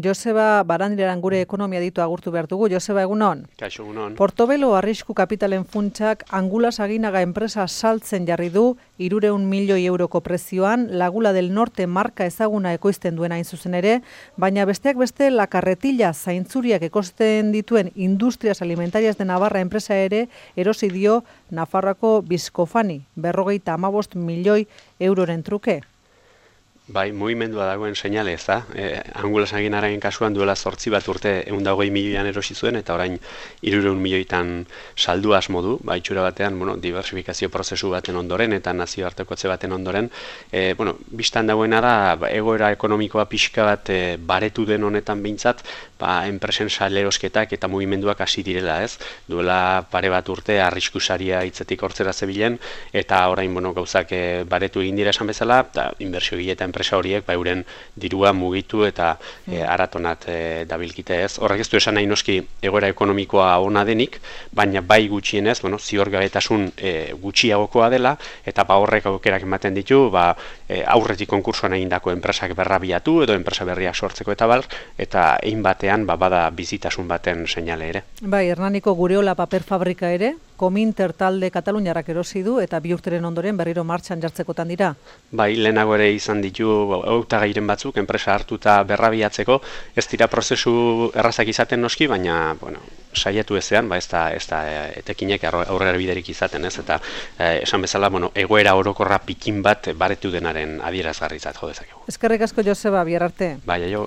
Joseba Barandiaran gure ekonomia ditu agurtu behar dugu. Joseba, egunon? Kaixo, egunon. Portobelo arrisku kapitalen funtsak Angulas Aginaga enpresa saltzen jarri du 300 milioi euroko prezioan, Laguna del Norte marka ezaguna ekoizten duen hain zuzen ere, baina besteak beste La Carretilla zaintzuriak ekoizten dituen Industrias Alimentarias de Navarra enpresa ere erosi dio Nafarroako Bizkofani, 55 milioi euroren truke. Bai, mugimendua dagoen seinale ez da. Angulas Aginararen kasuan duela 8 urte 120 milioian erosi zuen, eta orain 300 milioitan saldu asmo du, itxura batean, diversifikazio prozesu baten ondoren eta nazioartekotze baten ondoren. Bistan dagoena da, egoera ekonomikoa pixka bat baretu den honetan behintzat, enpresen salerosketak eta mugimenduak hasi direla, ez? Duela pare bat urte arriskusaria hitzetik hortzera zebilen, eta orain gauzak baretu egin dira esan bezala, eta inbertsio eta enpresa horiek euren dirua mugitu eta aratonat dabilkite, ez? Horrek ez du esan nahi noski egoera ekonomikoa ona denik, baina bai gutxienez, ziorgabetasun gutxiagokoa dela, eta horrek aukerak ematen ditu, aurretik konkursoan egindako enpresak berrabiatu edo enpresa berriak sortzeko eta egin batean bada bizitasun baten seinale ere. Bai, Hernaniko Gureola paper fabrika ere, Kominter talde Kataluniarrak erosi du eta 2 urteren ondoren berriro martxan jartzekotan dira. Bai, lehenago ere izan ditu hautagairen batzuk enpresa hartuta berrabiatzeko, ez dira prozesu errazak izaten noski, baina saiatu ezean, ez da etekinek aurrera biderik izaten, ez? Eta esan bezala, egoera orokorra pikin bat baretu denaren adierazgarritzat jo dezakegu. Eskerrik asko, Joseba, bihar arte. Bai, aio.